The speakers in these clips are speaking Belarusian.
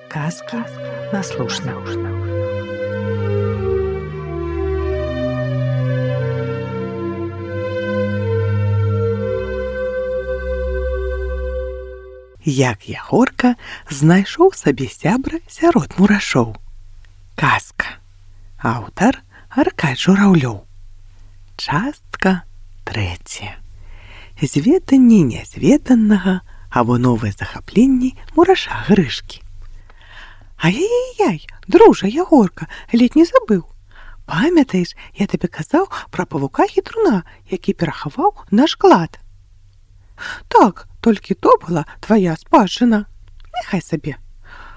Казки на слушна. Як Ягорка знайшоў сабе сябра сярод мурашоў. Казка. Аўтар Аркадзь Жураўлёў. Частка 3. Зведанне нязведанага або новыя захапленні мураша Грышкі. Ай-яй-яй, дружа Ягорка, ледь не забыў. Памятаеш, я табе казаў пра павука-хітруна, які перахаваў наш клад? Так, толькі то была твая спадчына. Няхай сабе.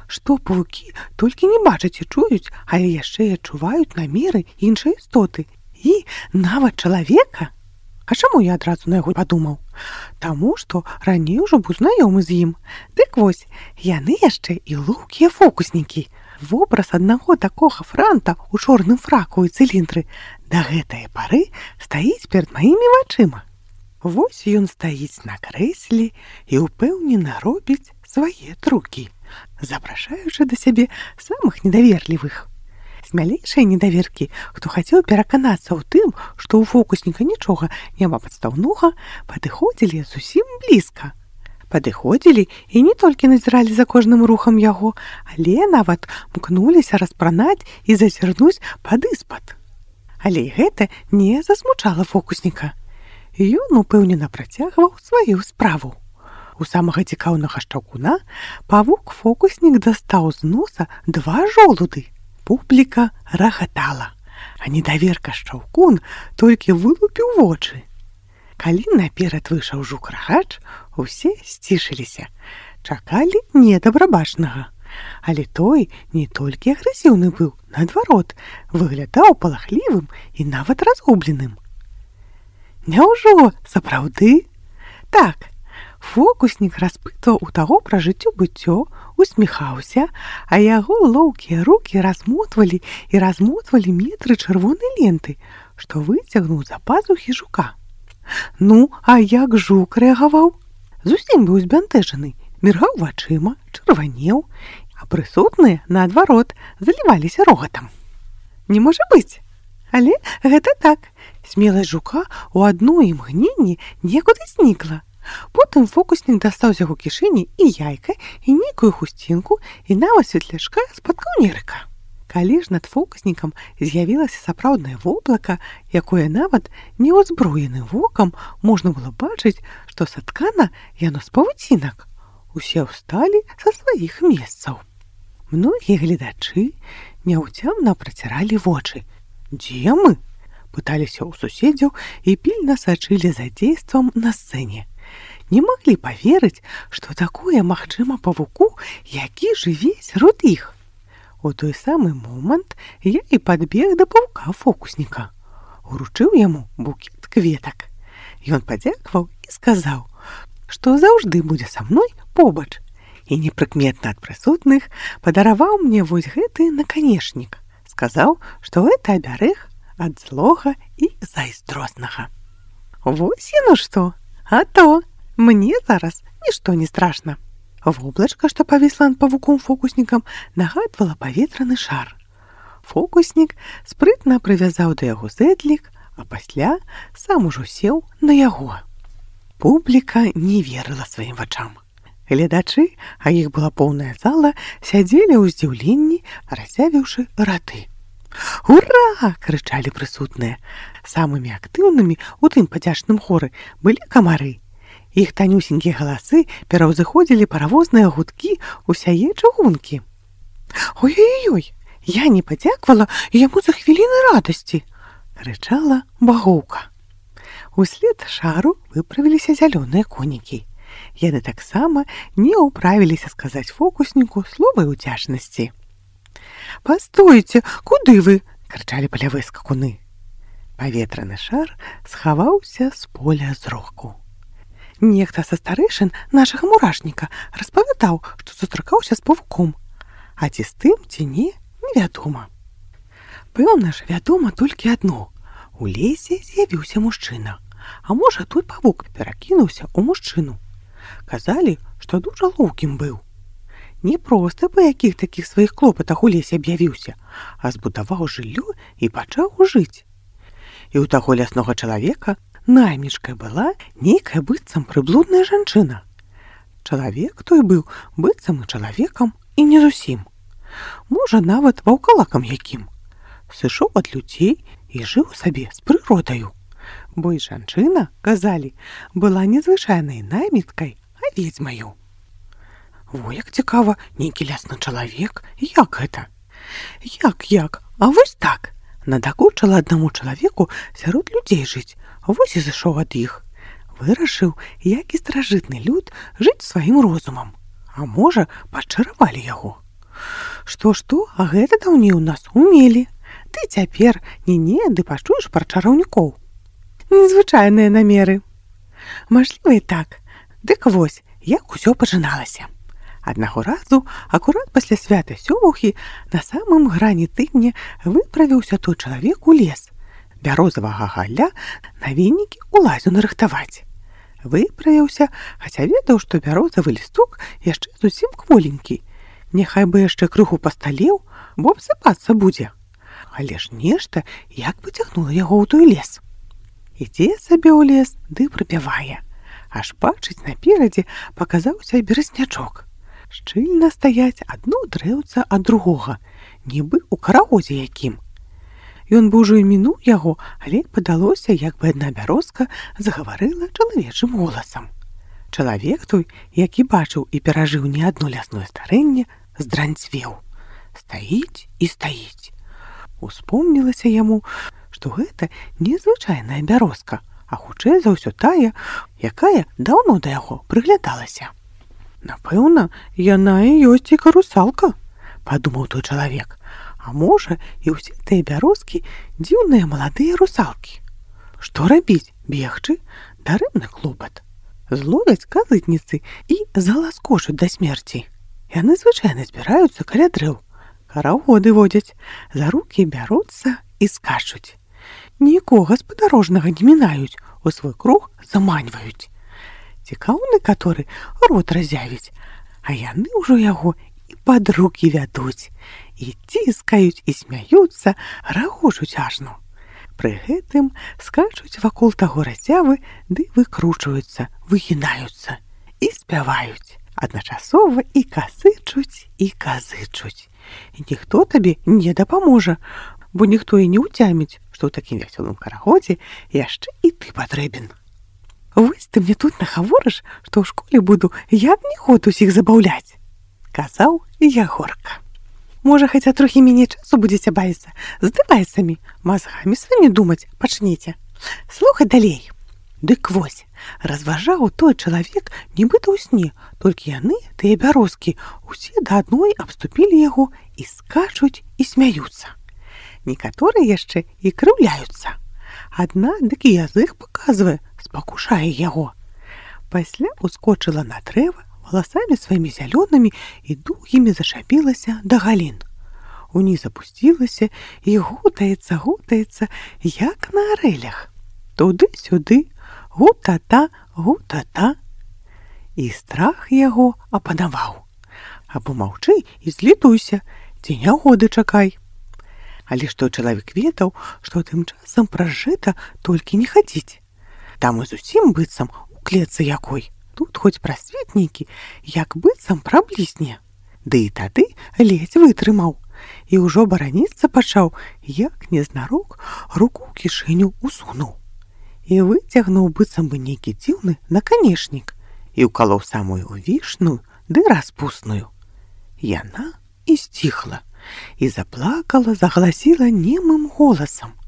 Што павукі толькі не бачаць і чуюць, але яшчэ і адчуваюць намеры іншай істоты. І нават чалавека. А чаму я адразу на яго падумаў? Таму, што раней ужо быў знаёмы з ім. Дык вось, яны яшчэ і лоўкія фокуснікі. Вобраз аднаго такога франта ў чорным фраку і цыліндры да гэтай пары стаіць перад маімі вачыма. Вось ён стаіць на крэсле і ўпэўнена робіць свае трукі, запрашаючы да сябе самых недаверлівых. Смялейшыя недаверкі, хто хацеў пераканацца ў тым, што ў фокусніка нічога няма падстаўнога, падыходзілі зусім блізка. Падыходзілі і не толькі назіралі за кожным рухам яго, але нават мкнуліся распранаць і зазірнуць падыспад. Але гэта не засмучала фокусніка. Ён упэўнена працягваў сваю справу. У самага цікаўнага шчаўкуна павук-фокуснік дастаў з носа 2 жолуды. Публіка рагатала, а недаверка шчаўкун толькі вылупіў вочы. Калі наперад выйшаў жук-рагач, усе сцішыліся, чакалі недабрабачнага. Але той не толькі агрэсіўны быў, наадварот, выглядаў палахлівым і нават разгубленым. Няўжо сапраўды? Так, фокуснік распытваў у таго пра жыццё-быццё, усміхаўся, а яго лоўкія рукі размотвалі метры чырвонай ленты, што выцягнуў з-за пазухі жука. Ну, а як жук рэагаваў? Зусім быў збянтэжаны, міргаў вачыма, чырванеў, а прысутныя, наадварот, заліваліся рогатам. Не можа быць! Але гэта так. Смеласць жука ў адно імгненне некуды знікла. Потым фокуснік дастаў з яго кішэні і яйка, і нейкую хусцінку, і нават светлячка з-пад каўнерыка. Калі ж над фокуснікам з'явілася сапраўднае воблака, якое нават неўзброеным вокам можна было бачыць, што саткана яно з павуцінак. Усе ўсталі са сваіх месцаў. Многія гледачы няўцямна праціралі вочы. «Дзе мы?» – пыталіся ў суседзяў і пільна сачылі за дзействам на сцэне. Не маглі паверыць, што такое магчыма павуку, які жыве сярод іх. У той самы момант я і падбег да павука-фокусніка. Уручыў яму букет кветак. Ён падзякаваў і сказаў, што заўжды будзе са мной побач. І непрыкметна ад прысутных падараваў мне вось гэты наканечнік. Сказаў, што гэта абярэг ад злога і зайздроснага. Вось яно што, а то! Мне зараз нішто не страшна. Воблачка, што павісла над павуком-фокуснікам, нагадвала паветраны шар. Фокуснік спрытна прывязаў да яго зэдлік, а пасля сам ужо сеў на яго. Публіка не верыла сваім вачам. Гледачы, а іх была поўная зала, сядзелі ў здзіўленні, разявіўшы раты. «Ура!» – крычалі прысутныя. Самымі актыўнымі ў тым падзячным хоры былі камары. Іх танюсенькія галасы пераўзыходзілі паравозныя гудкі ўсяе чыгункі. «Ой-ой-ой, я не падзяквала яму за хвіліны радасці!» – крычала багоўка. Услед шару выправіліся зялёныя конікі. Яны таксама не ўправіліся сказаць фокусніку словы ўдзячнасці. «Пастойце, куды вы?» – крычалі палявыя скакуны. Паветраны шар схаваўся з поля зроку. Нехта са старэйшын нашага мурашніка распавядаў, што сустракаўся з павуком. А ці з тым, ці не, невядома. Пэўна ж, вядома толькі адно. У лесе з'явіўся мужчына. А можа, той павук перакінуўся ў мужчыну. Казалі, што дужа лоўкім быў. не проста па якіх такіх сваіх клопатах у лесе аб'явіўся, а збудаваў жыллё і пачаў жыць. І ў таго ляснога чалавека наймічкай была нейкая быццам прыблудная жанчына. Чалавек той быў быццам і чалавекам, і не зусім. Можа, нават ваўкалакам якім. Сышоў ад людзей і жыў сабе з прыродаю. Бо і жанчына, казалі, была незвычайнай найміткай, а ведзьмаю. Во, як цікава, нейкі лясны чалавек. Як гэта? Як? А вось так. Надакучала аднаму чалавеку сярод людзей жыць, вось і зышоў ад іх. Вырашыў, як і старажытны люд, жыць сваім розумам. А можа, пачаравалі яго. Што, а гэта даўней у нас умелі. Ты цяпер ды пачуеш пра чараўнікоў. Незвычайныя намеры. Мажліва і так. Дык вось, як усё пачыналася. Аднаго разу, акурат пасля свята сёмухі, на самым грані тыдня выправіўся той чалавек у лес. Бярозавага галля на венікі ў лазю нарыхтаваць. Выправіўся, хаця ведаў, што бярозавы лісток яшчэ зусім кволенькі. Няхай бы яшчэ крыху пасталеў, бо абсыпацца будзе. Але ж нешта як пацягнула яго ў той лес. Ідзе сабе ў лес, ды прыпявае. Аж бачыць, наперадзе паказаўся беразнячок. Шчыльна стаяць адно дрэўца ад другога, нібы ў карагозе якім. Ён бы ўжо і мінуў яго, але падалося, як бы адна бярозка загаварыла чалавечым голасам. Чалавек той, які бачыў і перажыў не адно лясное старэнне, здранцвеў. Стаіць і стаіць. Успомнілася яму, што гэта незвычайная бярозка, а хутчэй за ўсё тая, якая даўно да яго прыглядалася. Напэўна, яна і ёсць і карусалка, падумаў той чалавек. А можа, і ўсе тыя бярозкі дзіўныя маладыя русалкі. Што рабіць? Бегчы? Дарэмны клопат. Зловяць казытніцы і заласкочуць да смерці. Яны звычайна збіраюцца каля дрэў. Карагоды водзяць, за рукі бяруцца і скачуць. Нікога спадарожнага не мінаюць, у свой круг заманьваюць. Цікаўны, каторы рот разявіць, а яны ўжо яго і пад рукі вядуць, і ціскаюць, і смяюцца, рагочуць ажно. Пры гэтым скачуць вакол таго разявы, ды выкручваюцца, выгінаюцца і спяваюць. Адначасова і казычуць, і казычуць. І ніхто табе не дапаможа, бо ніхто і не ўцяміць, што ў такім вясёлым карагодзе яшчэ і ты патрэбен. Вось ты мне тут нахаворыш, што ў школе буду як не ход усіх забаўляць, казаў Ягорка. Можа, хаця трохі меней часу будзеце бавіцца, з дэвайсамі, мазгамі сваімі думаць пачнеце. Слухай далей. Дык вось, разважаў той чалавек нібыта ў сне, толькі яны, тыя бярозкі, усе да адной абступілі яго і скачуць і смяюцца. Некаторыя яшчэ і крыўляюцца. Адна дык і язык паказвае, спакушае яго. Пасля ускочыла на дрэва, валасамі сваімі зялёнымі і доўгімі зашапілася да галін. Уніз апусцілася і гутаецца, як на арэлях. Туды-сюды, гутата. І страх яго апанаваў. Або маўчы і злітуйся, ці нягоды чакай. Але што чалавек ведаў, што тым часам праз жыта толькі не хадзіць. Там і зусім быццам у клетцы якой. Тут хоць прасветнікі, як быццам праблісне. Ды і тады ледзь вытрымаў. І ўжо бараніцца пачаў, як незнарок руку ў кішэню усунуў. І выцягнуў быццам бы нейкі дзіўны наканечнік і ўкалоў самую вішную ды распусную. Яна і сціхла. І заплакала, загаласіла немым голасам.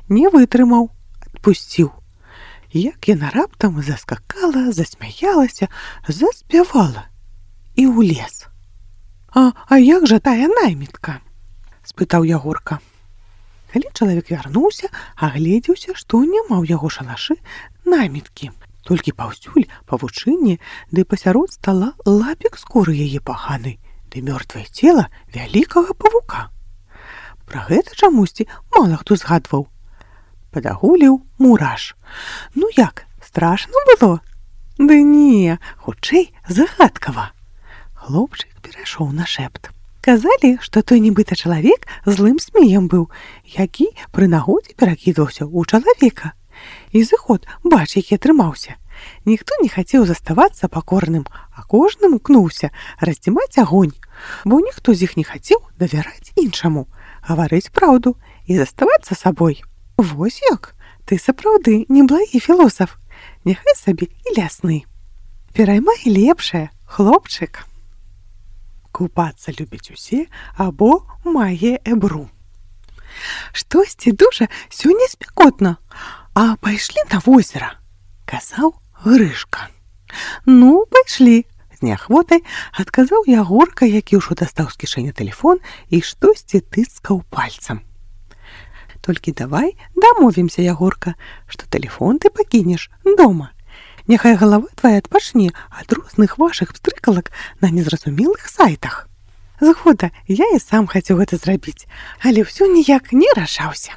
Не вытрымаў, адпусціў. Як яна раптам заскакала, засмяялася, заспявала і ў лес. А як жа тая наймітка? Спытаў Ягорка. Калі чалавек вярнуўся, агледзеўся, што няма ў яго шалашы найміткі. Толькі паўсюль павучынне, ды пасярод стала лапік скуры яе паханы, ды мёртвае цела вялікага павука. Пра гэта чамусьці мала хто згадваў. Падагуліў мураш. Ну як, страшно было? Ды не, хутчэй загадкава. Хлопчык перайшоў на шэпт. Казалі, што той нібыта чалавек злым змеем быў, які пры нагодзе перакідваўся ў чалавека. І зыход, бач, які атрымаўся. Ніхто не хацеў заставацца пакорным, а кожнаму кнуўся раздзімаць агонь, бо ніхто з іх не хацеў давяраць іншаму, гаварыць праўду і заставацца сабой. Вось як, ты сапраўды неблагі філосаф, няхай сабе і лясны. Пераймай лепшае, хлопчык. Купацца любяць усе або мае эбру. Штосьці дужа сёння спякотна, а пайшлі на возера, казаў Грышка. Ну, пайшлі, з неахвотай адказаў Ягорка, які ўжо дастаў з кішэні тэлефон і штосьці тыцкаў пальцам. Толькі давай дамовімся, Ягорка, што тэлефон ты пакінеш дома. Няхай галава твая адпачне ад розных вашых пстрыкалак на незразумелых сайтах. Згода, я і сам хацеў гэта зрабіць, але ўсё ніяк не рашаўся.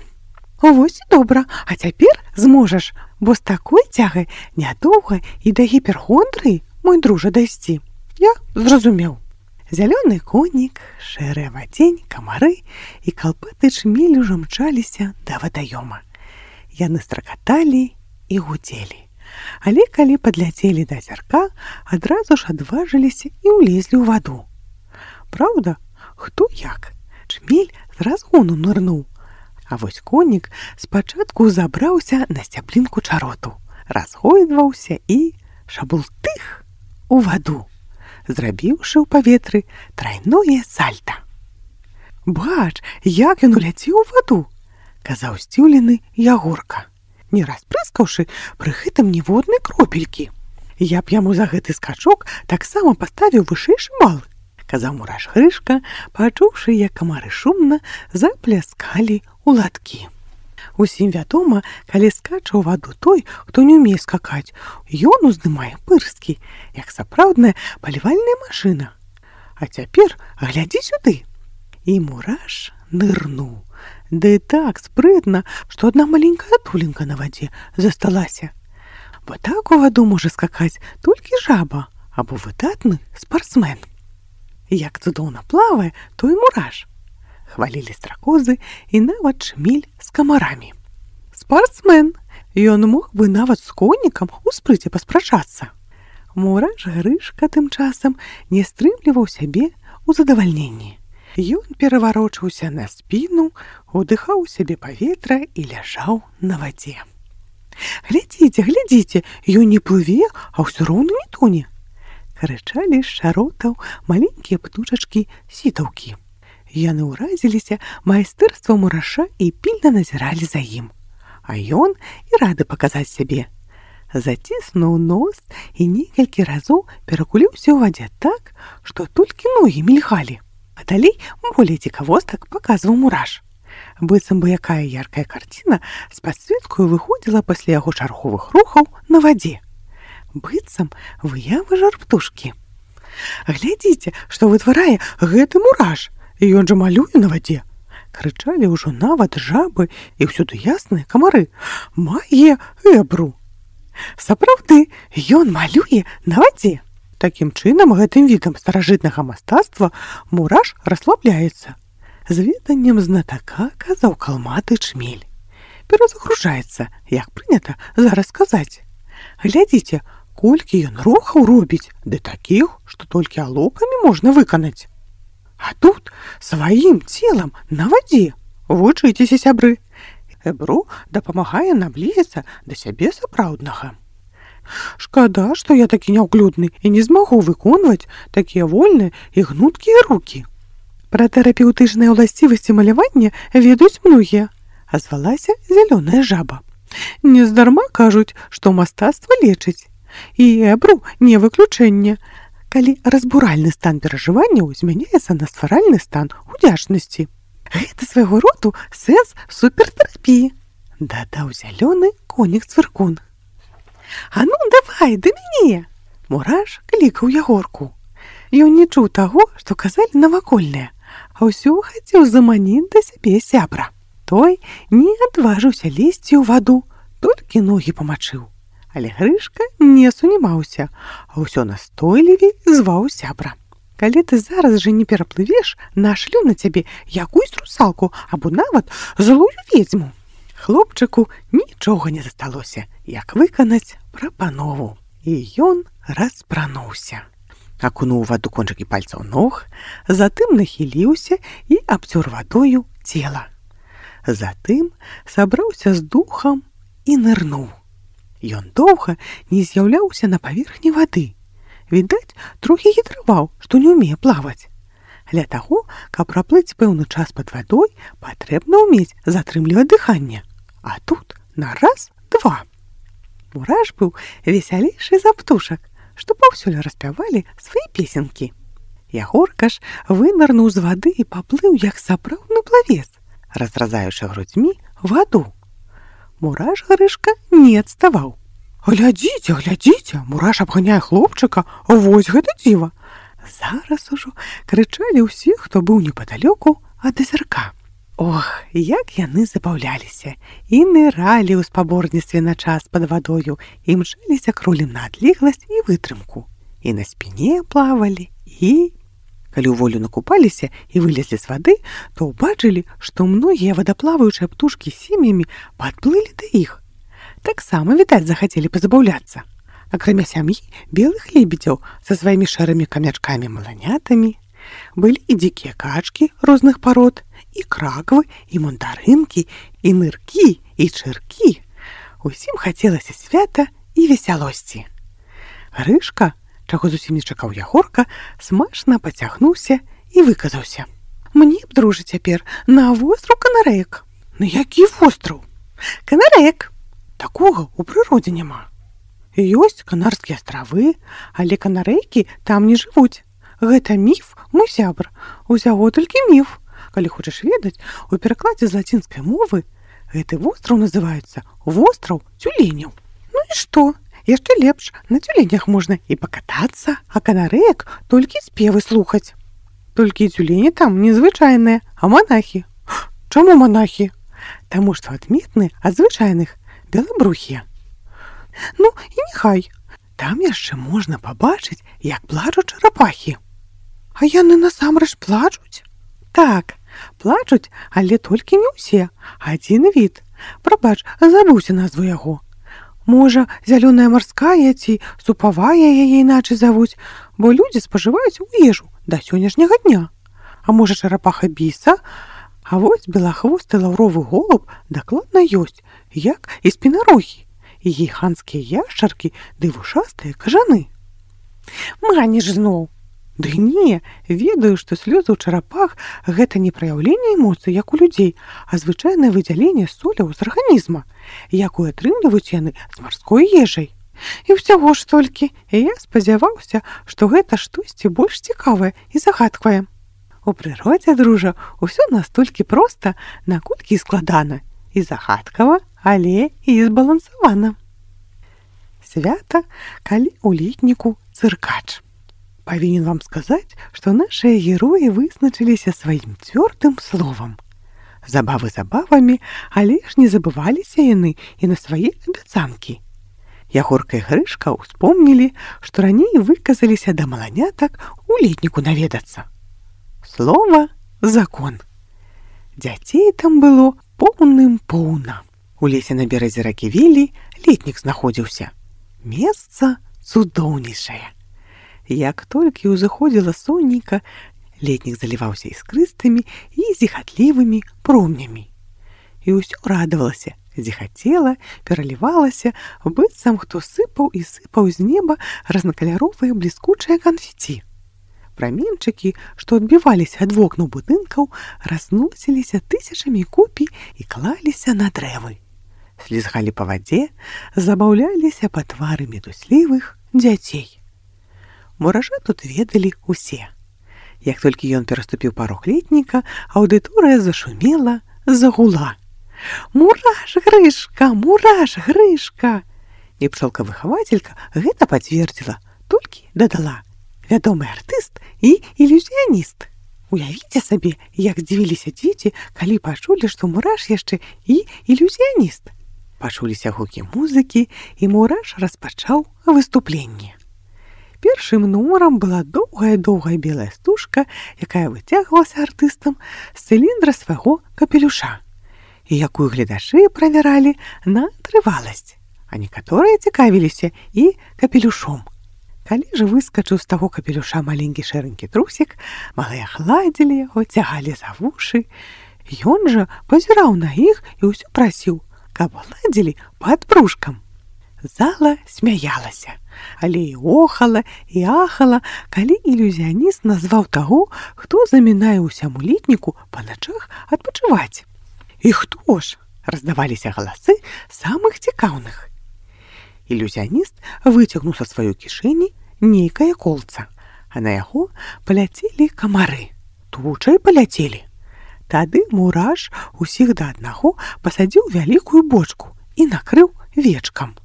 Вось і добра, а цяпер зможаш, бо з такой цягай нядоўга і да гіперхондрыі, мой дружа, дайсці. Я зразумеў. Зялёны конік, шэрая вадзень, камары і калпаты чмель ужо мчаліся да вадаёма. Яны стракаталі і гудзелі. Але калі падляцелі да азярка, адразу ж адважыліся і ўлезлі ў ваду. Праўда, хто як? Чмель з разгону нырнуў. А вось конік спачатку забраўся на сцяблінку чароту, разгойдваўся і шабултых у ваду, зрабіўшы ў паветры трайное сальта. Бач, як ён уляцеў у ваду, казаў здзіўлены Ягорка, не распрыскаўшы пры гэтым ніводнай кропелькі. Я б яму за гэты скачок таксама паставіў вышэйшы бал, казаў мураш Грышка, пачуўшы, як камары шумна запляскалі у ладкі. Усім вядома, калі скача ў ваду той, хто не ўмее скакаць, ён уздымае пырскі, як сапраўдная палівальная машына. А цяпер глядзі сюды. І мураш нырнуў. Да і так спрытна, што адна маленькая туленька на вадзе засталася. Бо так у ваду можа скакаць толькі жаба або выдатны спартсмен. Як цудоўна плавае той мураш. Хвалілі стракозы і нават чмель з камарамі. Спартсмен! Ён мог бы нават з конікам у спрыце паспрачацца. Мураш Грышка тым часам не стрымліваў сябе ў задавальненні. Ён пераварочаўся на спіну, удыхаў сябе паветра і ляжаў на вадзе. Глядзіце, глядзіце, ён не плыве, а ўсё роўна не тоне. Крычалі з шаротаў маленькія птушачкі сітаўкі. Яны ўразіліся майстэрствам мураша і пільна назіралі за ім. А ён і рады паказаць сябе. Заціснуў нос і некалькі разоў перакуліўся ў вадзе так, што толькі ногі мільгалі. А далей болей цікавостак паказваў мураш. Быццам бы якая яркая карціна з падсветкаю выходзіла пасля яго чарговых рухаў на вадзе. Быццам выявы жар-птушкі. Глядзіце, што вытварае гэты мураш, і ён жа малюе на вадзе. Крычалі ўжо нават жабы і ўсюды ясныя камары. Мае эбру. Сапраўды, ён малюе на вадзе. Такім чынам, гэтым відам старажытнага мастацтва мураш расслабляецца. З веданнем знатака казаў калматы чмель. Перазагружаецца, як прынята зараз сказаць. Глядзіце, колькі ён рухаў робіць, ды такіх, што толькі алокамі можна выканаць. А тут сваім целам на вадзе. Вучыцеся, сябры. Эбру дапамагае наблізіцца да сябе сапраўднага. Шкада, што я такі няўклюдны і не змагу выконваць такія вольныя і гнуткія рукі. Пра тэрапеўтычныя ўласцівасці малявання ведаюць многія, азвалася зялёная жаба. Нездарма кажуць, што мастацтва лечыць. І эбру не выключэнне, калі разбуральны стан перажыванняў змяняецца на стваральны стан удзячнасці. Гэта свайго роду сэнс супертэрапіі, дадаў зялёны конік-цвыркун. А ну, давай, да мяне! Мураш клікаў Ягорку. Ён не чуў таго, што казалі навакольныя, а ўсё хацеў заманіць да сябе сябра. Той не адважыўся лезці ў ваду, толькі ногі памачыў. Але Грышка не сунімаўся, а ўсё настойлівей зваў сябра. Калі ты зараз жа не пераплывеш, нашлю на цябе якусь русалку або нават злую ведзьму. Хлопчыку нічога не засталося, як выканаць прапанову. І ён распрануўся. Акунуў ваду кончыкі пальцаў ног, затым нахіліўся і абцёр вадою цела. Затым сабраўся з духам і нырнуў. Ён доўга не з'яўляўся на паверхні вады. Відаць, трохі хітраваў, што не ўмее плаваць. Для таго, каб праплыць пэўны час пад вадой, патрэбна ўмець затрымліваць дыханне. А тут на раз, два. Мураш быў весялейшы за птушак, што паўсюль распявалі свае песенкі. Ягорка ж вынырнуў з вады і паплыў, як сапраўдны плавец, разразаючы грудзьмі ваду. Мураш Грышка не адставаў. «Глядзіце, глядзіце, Мураш абганяе хлопчыка, вось гэта дзіва!» Зараз ужо крычалі ўсе, хто быў непадалёку ад азярка. Ох, як яны забаўляліся і ныралі ў спаборніцтве на час пад вадою, і мчаліся кролем на адлегласць і вытрымку. І на спіне плавалі, і... Калі ў волю накупаліся і вылезлі з вады, то ўбачылі, што многія вадаплаваючыя птушкі з сем'ямі падплылі да іх. Таксама, відаць, захацелі пазабаўляцца. Акрамя сям'і белых лебедзяў са сваімі шэрымі камячкамі-маланятамі былі і дзікія качкі розных парод, і краквы, і мандарынкі, і ныркі, і чыркі. Усім хацелася свята і весялосці. Грышка, чаго зусім не чакаў Ягорка, смачна пацягнуўся і выказаўся. «Мне б, дружа, цяпер на востраў Канарэек». «На які востраў?» «Канарэек. Такога ў прыродзе няма. Ёсць Канарскія астравы, але канарэйкі там не жывуць. Гэта міф, мой сябр, усяго толькі міф. Калі хочаш ведаць, у перакладзе з лацінскай мовы гэты востраў называецца востраў цюленяў. Ну і што? Яшчэ лепш, на цюленях можна і пакатацца, а канарэек толькі спевы слухаць. Толькі цюлені там незвычайныя, а монахі». «Чаму монахі?» «Таму што адметны ад звычайных белабрухія». «Ну і няхай. Там яшчэ можна пабачыць, як плачуць чарапахі». «А яны насамрэч плачуць?» «Так, плачуць, але толькі не ўсе. Адзін від. Прабач, забыўся назву яго. Можа, зялёная марская ці супавая яе іначай завуць, бо людзі спажываюць у ежу да сённяшняга дня. А можа, чарапаха біса? А вось белахвосты лаўровы голуб дакладна ёсць, як і спінарогі, і гіганцкія яшчаркі ды вушастыя кажаны». «Маніш зноў». «Ды не, ведаю, што слёзы ў чарапах – гэта не праяўленне эмоцый, як у людзей, а звычайнае выдзяленне соляў з арганізма, якую атрымліваюць яны з марской ежай. І ўсяго ж толькі, і я спадзяваўся, што гэта штосьці больш цікавае і загадкавае. У прыродзе, дружа, усё настолькі проста, наколькі складана, і загадкава, але і збалансавана». Свята, калі ў летніку цыркач. Павінен вам сказаць, што нашыя героі вызначыліся сваім цвёрдым словам. Забавы забавамі, але ж не забываліся яны і на свае абяцанкі. Ягорка і Грышка ўспомнілі, што раней выказаліся да маланятак у летніку наведацца. Слова – закон. Дзяцей там было поўным-поўна. У лесе на беразе ракі Вілі летнік знаходзіўся. Месца цудоўнейшае. Як толькі ўзыходзіла сонейка, летнік заліваўся іскрыстымі і зіхатлівымі промнямі. І ўсё радавалася, зіхацела, пералівалася, быццам хто сыпаў і сыпаў з неба разнакаляровыя бліскучыя канфеці. Праменчыкі, што адбіваліся ад вокнаў будынкаў, разносіліся тысячамі купій і клаліся на дрэвы. Слізгалі па вадзе, забаўляліся па твары мітуслівых дзяцей. Мураша тут ведалі ўсе. Як толькі ён пераступіў парог летніка, аўдыторыя зашумела, загула. «Мураш, Грышка! Мураш, Грышка!» І пчолка-выхавацелька гэта пацвердзіла, толькі дадала: «Вядомы артыст і ілюзіяніст». Уявіце сабе, як здзівіліся дзеці, калі пачулі, што Мураш яшчэ і ілюзіяніст. Пачуліся гукі музыкі, і Мураш распачаў выступленне. Першым нумарам была доўгая-доўгая белая стужка, якая выцягвалася артыстам з цыліндра свайго капелюша, і якую гледачы правяралі на трываласць, а некаторыя цікавіліся і капелюшом. Калі ж выскачыў з таго капелюша маленькі шэранькі трусік, малыя гладзілі яго, цягалі за вушы. Ён жа пазіраў на іх і ўсё прасіў, каб гладзілі пад брушкам. Зала смяялася, але і охала, і ахала, калі ілюзіяніст назваў таго, хто замінае ўсяму летніку па начах адпачываць. І хто ж? Раздаваліся галасы самых цікаўных. Ілюзіяніст выцягнуў са сваёй кішэні нейкае колца, а на яго паляцелі камары. Тучай паляцелі. Тады мураш усіх да аднаго пасадзіў вялікую бочку і накрыў вечкам.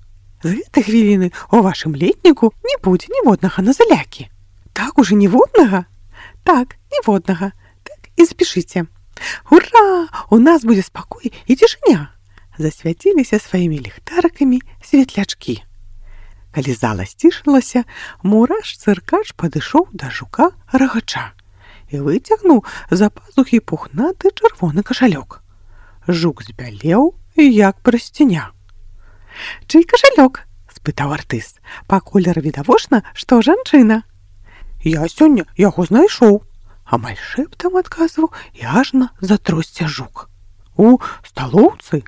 З гэтай хвіліны у вашым летніку не будзе ніводнага назалякі. Так уже ніводнага? Так, ніводнага. Так і запішыце. Ура! У нас будзе спакой і цішыня. Засвяціліся сваімі ліхтарыкамі светлячкі. Калі зала сцішылася, мураш-цыркач падышоў да жука-рагача і выцягнуў з-за пазухі пухнаты чырвоны кашалёк. Жук збялеў, як прасціня. «Чый кашалёк?» – спытаў артыст. «Па колеру відавочна, што жанчына». «Я сёння яго знайшоў», – амаль шэптам адказваў і ажна затросся жук. «У сталоўцы?»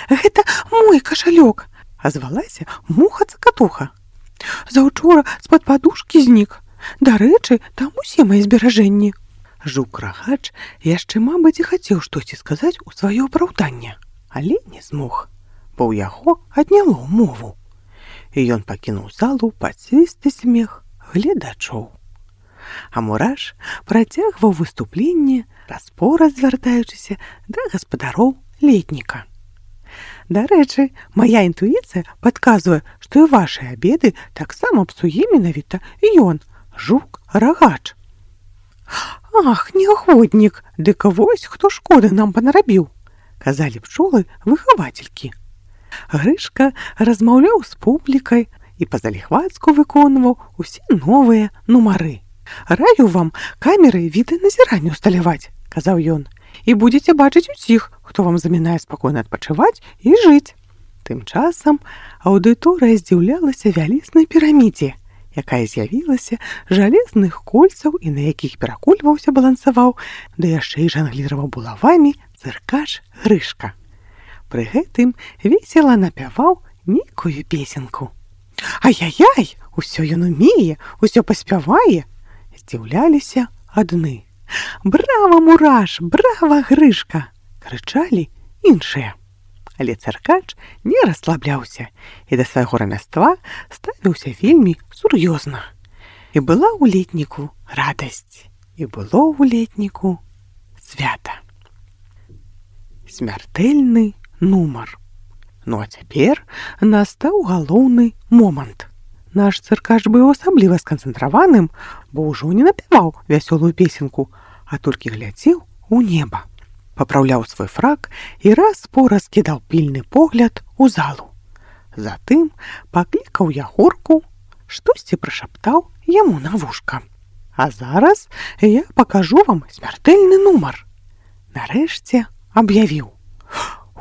«Гэта мой кашалёк!» – азвалася муха-цакатуха. «Заўчора з-пад падушкі знік. Дарэчы, там усе мае зберажэнні». Жук-рагач яшчэ, мабыць, і хацеў штосьці сказаць у сваё апраўданне, але не змог, бо ў яго адняло мову. І ён пакінуў залу пад свісты смех гледачоў. А мураш працягваў выступленне, раз-пораз звяртаючыся да гаспадароў летніка. Дарэчы, мая інтуіцыя падказвае, што і вашыя абеды таксама псуе менавіта ён, жук-рагач. «Ах, негоднік, дык вось хто шкоды нам панарабіў», – казалі пчолы-выхавацелькі. Грышка размаўляў з публікай і па-заліхвацку выконваў усе новыя нумары. «Раю вам камеры відэаназірання ўсталяваць», – казаў ён, «і будзеце бачыць усіх, хто вам замінае спакойна адпачываць і жыць». Тым часам аўдыторыя здзіўлялася вялізнай пірамідзе, якая з'явілася жалезных кольцаў і на якіх перакульваўся, балансаваў, да яшчэ і жангліраваў булавамі цыркач Грышка. Пры гэтым весела напяваў нейкую песенку. «Ай-яй-яй, усё ён умее, усё паспявае!» Здзіўляліся адны. «Брава, мураш, брава, Грышка!» крычалі іншыя. Але цыркач не расслабляўся і да свайго рамяства ставіўся вельмі сур'ёзна. І была ў летніку радасць, і было ў летніку свята. Смяртэльны нумар. Ну а цяпер настаў галоўны момант. Наш цыркач быў асабліва сканцэнтраваным, бо ўжо не напяваў вясёлую песенку, а толькі глядзеў у неба. Папраўляў свой фрак і раз-пораз кідаў пільны погляд у залу. Затым паклікаў Ягорку, штосьці прашаптаў яму на вушка. «А зараз я пакажу вам смяртэльны нумар». Нарэшце аб'явіў.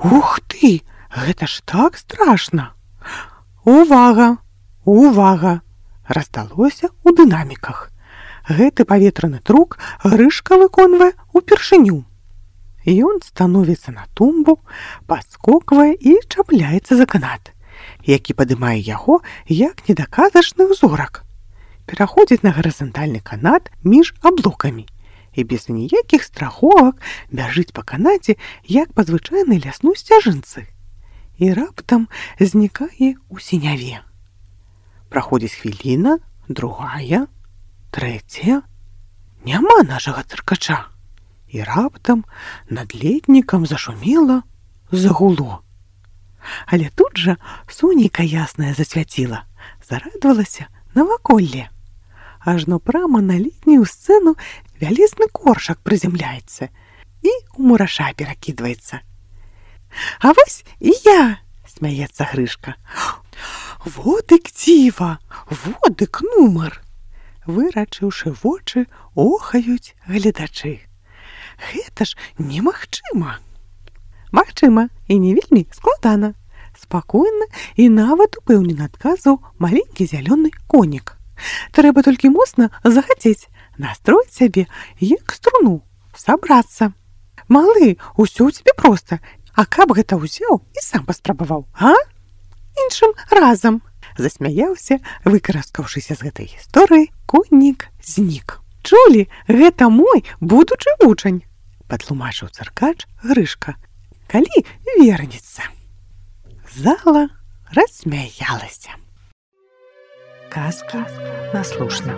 «Ух ты, гэта ж так страшна!» «Увага! Увага!» раздалося ў дынаміках. Гэты паветраны трюк Грышка выконвае упершыню. Ён становіцца на тумбу, падскоквае і чапляецца за канат, які падымае яго як недаказачны ўзорак. Пераходзіць на гарызантальны канат між аблокамі і без ніякіх страховак бяжыць па канаце, як па звычайнай лясной сцяжынцы. І раптам знікае ў сіняве. Праходзіць хвіліна, другая, трэцяя. Няма нашага цыркача. І раптам над летнікам зашумела, загуло. Але тут жа сонейка яснае засвяціла, зарадавалася наваколле. Ажно прама на летнюю сцэну вялізны коршак прызямляецца і ў мураша перакідваецца. «А вось і я!» – смяецца Грышка. Водык дзіва, водык нумар. Вырачыўшы вочы, охаюць гледачы. Гэта ж немагчыма. Магчыма, і не вельмі складана. Спакойна і нават упэўнена адказаў маленькі зялёны конік. Трэба толькі моцна захацець, настроіць сябе, як струну, сабрацца. Малы, усё ў цябе проста. А каб гэта ўзяў і сам паспрабаваў, а? Іншым разам. Засмяяўся, выкараскаўшыся з гэтай гісторыі, коннік знік. Чулі, гэта мой будучы вучань, патлумачыў цыркач Грышка, калі вернецца. Зала рассмяялася. Казка наслушна.